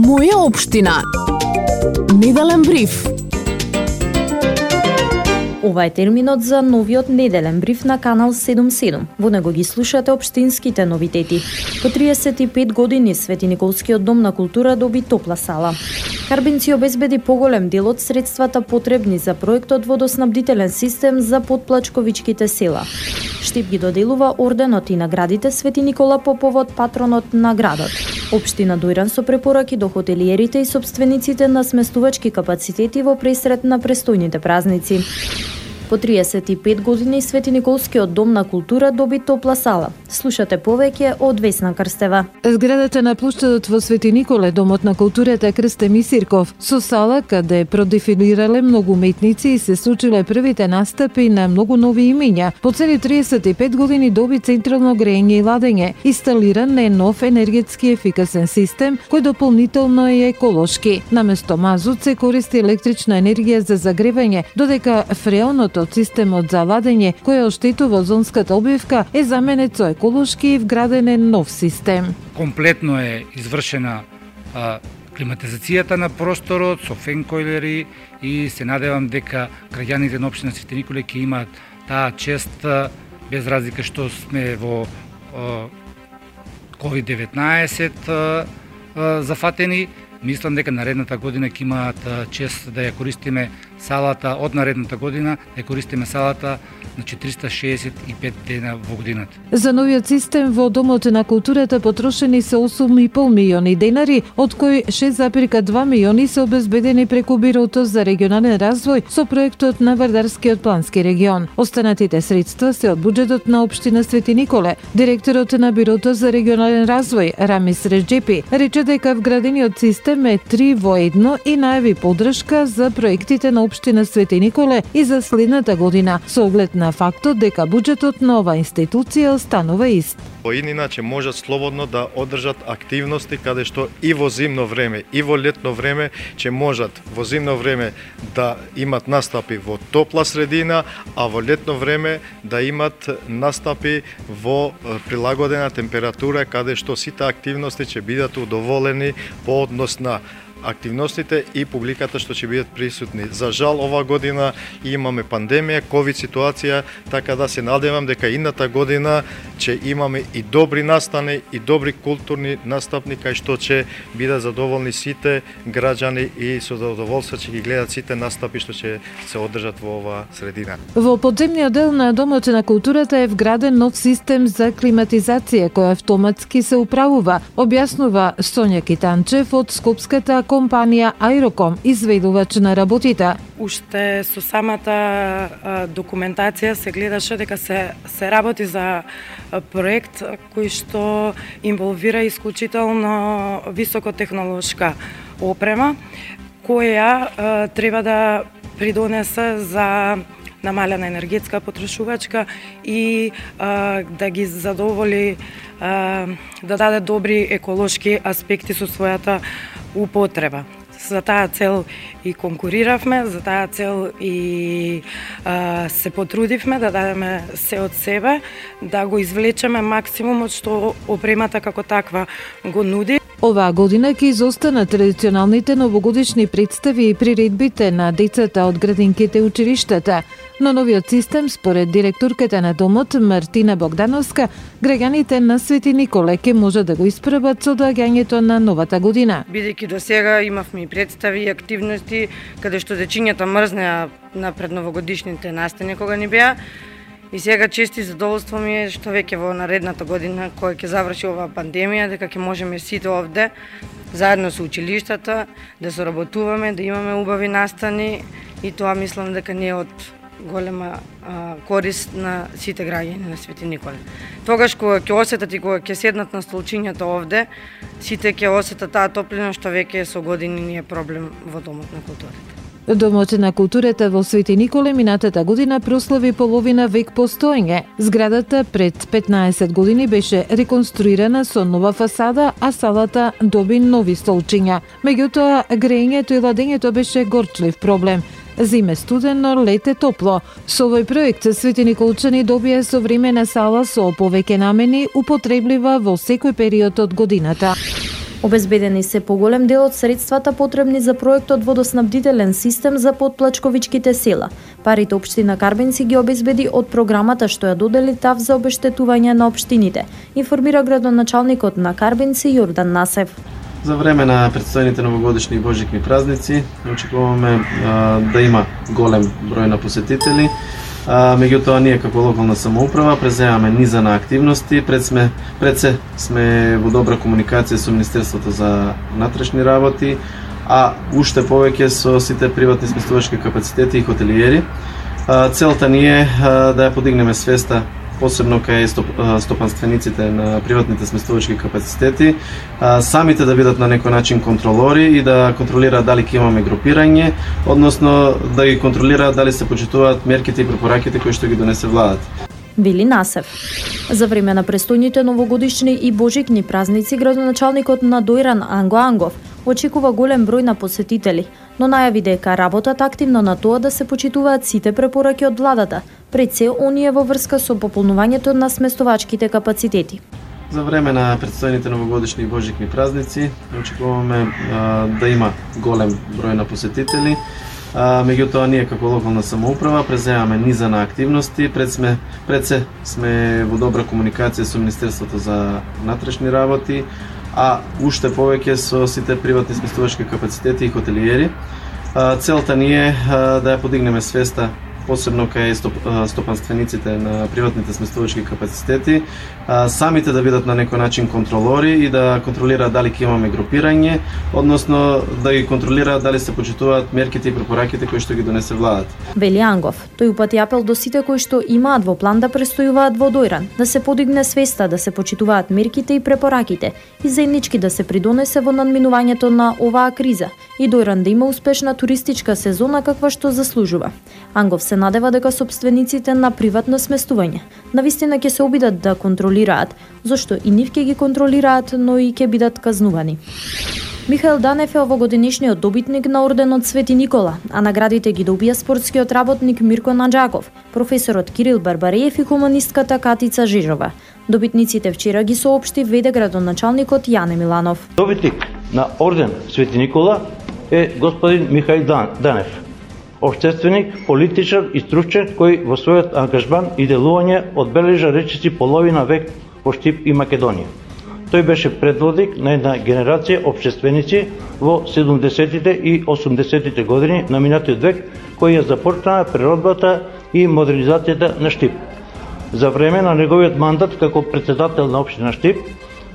Моја општина. Неделен бриф. Ова е терминот за новиот неделен бриф на Канал 77. Во него ги слушате општинските новитети. По 35 години Свети Николскиот дом на култура доби топла сала. Карбинци обезбеди поголем дел од средствата потребни за проектот водоснабдителен систем за Подплачковичките села. Штип ги доделува орденот и наградите Свети Никола по повод патронот на градот. Општина Дојран со препораки до хотелиерите и сопствениците на сместувачки капацитети во пресрет на престојните празници. По 35 години Свети Николскиот дом на култура доби топла сала. Слушате повеќе од Весна Крстева. Зградата на плоштадот во Свети Николе, домот на културата Крсте Мисирков, со сала каде продефилирале многу уметници и се случиле првите настапи на многу нови имиња. По цели 35 години доби централно грејење и ладење. Инсталиран е нов енергетски ефикасен систем кој дополнително е еколошки. Наместо мазут се користи електрична енергија за загревање, додека фреоното од системот за ладење, кој оштетува озонската обвивка, е заменет со еколошки и вграден е нов систем. Комплетно е извршена климатизацијата на просторот со фенкойлери и се надевам дека граѓаните на општина Свети Николе ќе имаат таа чест без разлика што сме во COVID-19 зафатени. Мислам дека наредната година ќе имаат чест да ја користиме салата од наредната година, да ја користиме салата на 465 дена во годината. За новиот систем во Домот на културата потрошени се 8,5 милиони денари, од кои 6,2 милиони се обезбедени преку Бирото за регионален развој со проектот на Вардарскиот плански регион. Останатите средства се од буџетот на општина Свети Николе. Директорот на Бирото за регионален развој Рамис Реджепи рече дека вградениот систем е 3 во 1 и најави поддршка за проектите на општина Свети Николе и за следната година, со оглед на фактот дека буџетот на оваа институција останува ист. Иначе можат слободно да одржат активности каде што и во зимно време и во летно време ќе можат во зимно време да имат настапи во топла средина, а во летно време да имат настапи во прилагодена температура каде што сите активности ќе бидат удоволени по однос на активностите и публиката што ќе бидат присутни. За жал, ова година имаме пандемија, ковид ситуација, така да се надевам дека идната година ќе имаме и добри настани и добри културни настапни кај што ќе бидат задоволни сите граѓани и со задоволство ќе ги гледат сите настапи што ќе се одржат во оваа средина. Во подземниот дел на Домот на културата е вграден нов систем за климатизација кој автоматски се управува, објаснува Сонја Китанчев од скопската компанија Аероком, изведувач на работите. Уште со самата документација се гледаше дека се работи за проект кој што инволвира исклучително високотехнолошка опрема, која треба да придонесе за намалена енергетска потрошувачка и да ги задоволи, да даде добри еколошки аспекти со својата употреба. За таа цел и конкуриравме, за таа цел и се потрудивме да дадеме се од себе, да го извлечеме максимумот што опремата како таква го нуди. Оваа година ќе изостанат традиционалните новогодишни представи и приредбите на децата од градинките и училиштата. Но новиот систем, според директорката на домот Мартина Богдановска, граѓаните на Свети Николе ќе може да го испробат со доаѓањето на новата година. Бидејќи до сега имавме и представи и активности каде што дечињата мрзнеа на предновогодишните настани кога ни беа. И сега чести задоволство ми е што веќе во наредната година, која ќе заврши оваа пандемија, дека ќе можеме сите овде, заедно со училиштата, да соработуваме, да имаме убави настани и тоа мислам дека не е од голема корист на сите граѓани на Свети Николе. Тогаш кога ќе осетат и кога ќе седнат на столчињата овде, сите ќе осетат таа топлина што веќе со години не е проблем во Домот на културата. Домот на културата во Свети Николе минатата година прослави половина век постоење. Зградата пред 15 години беше реконструирана со нова фасада, а салата доби нови столчиња. Меѓутоа, грејењето и ладењето беше горчлив проблем. Зиме студено, лете топло. Со овој проект Свети Николчани добија современа сала со повеќе намени, употреблива во секој период од годината. Обезбедени се поголем дел од средствата потребни за проектот водоснабдителен систем за потплачковичките села. Парите општина Карбенци ги обезбеди од програмата што ја додели ТАВ за обештетување на општините, информира градоначалникот на Карбенци Јордан Насев. За време на предстојните новогодишни и божикни празници очекуваме да има голем број на посетители. Меѓутоа ние како локална самоуправа преземаме низа на активности. Пред се сме во добра комуникација со Министерството за внатрешни работи, а уште повеќе со сите приватни сместувачки капацитети и хотелиери. Целта ни е да ја подигнеме свеста посебно кај стопанствениците на приватните сместувачки капацитети, самите да бидат на некој начин контролори и да контролираат дали ќе имаме групирање, односно да ги контролираат дали се почитуваат мерките и препораките кои што ги донесе владата. Вели Насев. За време на престојните новогодишни и божикни празници, градоначалникот на Дојран Анго Ангов очекува голем број на посетители, но најави дека работат активно на тоа да се почитуваат сите препораки од владата, пред се оние во врска со пополнувањето на сместовачките капацитети. За време на предстојните новогодишни и божикни празници очекуваме да има голем број на посетители. Меѓутоа ние како локална самоуправа преземаме низа на активности. Пред се сме во добра комуникација со Министерството за внатрешни работи, а уште повеќе со сите приватни сместувачки капацитети и хотелиери. Целта ни е да ја подигнеме свеста посебно кај стопанствениците на приватните сместувачки капацитети, самите да бидат на некој начин контролори и да контролираат дали ќе имаме групирање, односно да ги контролираат дали се почитуваат мерките и препораките кои што ги донесе владата. Вели Ангов, тој упати апел до сите кои што имаат во план да престојуваат во Дојран, да се подигне свеста, да се почитуваат мерките и препораките и заеднички да се придонесе во надминувањето на оваа криза и Дојран да има успешна туристичка сезона каква што заслужува. Ангов се надева дека собствениците на приватно сместување навистина ќе се обидат да контролираат, зашто и нив ќе ги контролираат, но и ќе бидат казнувани. Михаил Данев е овогодинешниот добитник на орденот Свети Никола, а наградите ги добија спортскиот работник Мирко Наджаков, професорот Кирил Барбареев и хуманистката Катица Жижова. Добитниците вчера ги соопшти веде градоначалникот Јане Миланов. Добитник на орден Свети Никола е господин Михаил Данев, општественик, политичар и стручен кој во својот ангажман и делување одбележа речиси половина век во Штип и Македонија. Тој беше предводник на една генерација општественици во 70-тите и 80-тите години на минатиот век, кои ја започнаа преродбата и модернизацијата на Штип. За време на неговиот мандат како претседател на општина Штип,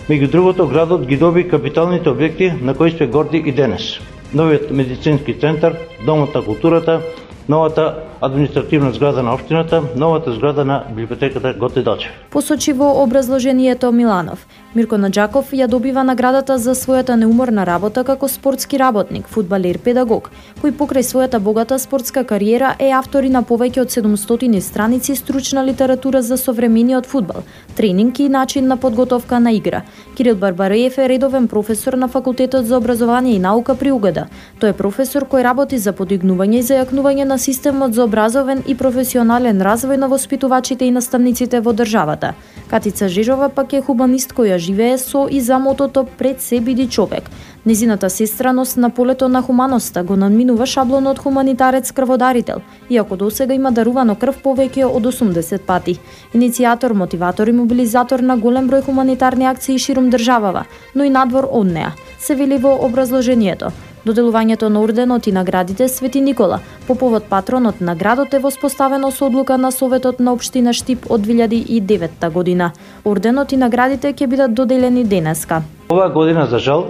меѓу другото градот ги доби капиталните објекти на кои сме горди и денес. Новиот медицински центар, Домот на културата, новата административна зграда на општината, новата зграда на библиотеката Гоце Делчев. Посочи во образложението Миланов, Мирко Наджаков ја добива наградата за својата неуморна работа како спортски работник, фудбалер, педагог, кој покрај својата богата спортска кариера е автор на повеќе од 700 страници стручна литература за современиот фудбал, тренинг и начин на подготовка на игра. Кирил Барбареев е редовен професор на Факултетот за образование и наука при УГД. Тој е професор кој работи за подигнување и зајакнување на системот за образовен и професионален развој на воспитувачите и наставниците во државата. Катица Жижова пак е хуманист која живее со и за мотото пред се биди човек. Незината сестраност на полето на хуманоста го надминува шаблонот хуманитарец крводарител, иако досега има дарувано крв повеќе од 80 пати. Иницијатор, мотиватор и мобилизатор на голем број хуманитарни акции ширум државава, но и надвор од неа, се вели во образложението. Доделувањето на орденот и наградите Свети Никола по повод патронот на градот е воспоставено со одлука на Советот на општина Штип од 2009 година. Орденот и наградите ќе бидат доделени денеска. Оваа година, за жал,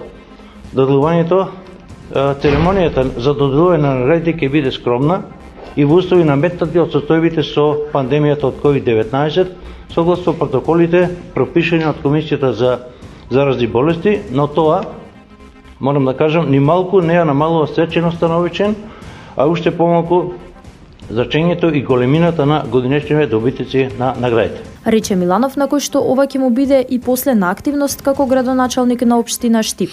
доделувањето, церемонијата за доделување на наградите ќе биде скромна и во услови наметнати од состојбите со пандемијата од COVID-19, согласно протоколите пропишани од Комисијата за заразни болести, но тоа морам да кажам, ни малку не ја намалува свеченоста на овој чин, а уште помалку значењето и големината на годинешните добитници на наградите. Рече Миланов, на кој што ова ќе му биде и последна активност како градоначалник на општина Штип.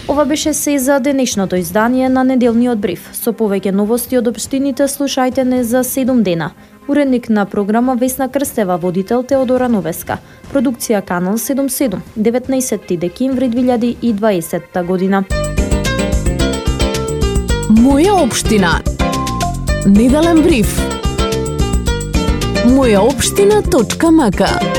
Ова беше се за денешното издание на неделниот бриф. Со повеќе новости од општините слушајте не за 7 дена. Уредник на програма Весна Крстева, водител Теодора Новеска. Продукција Канал 77, 19 декември 2020 година. Моја општина. Неделен бриф. Мојаопштина.мк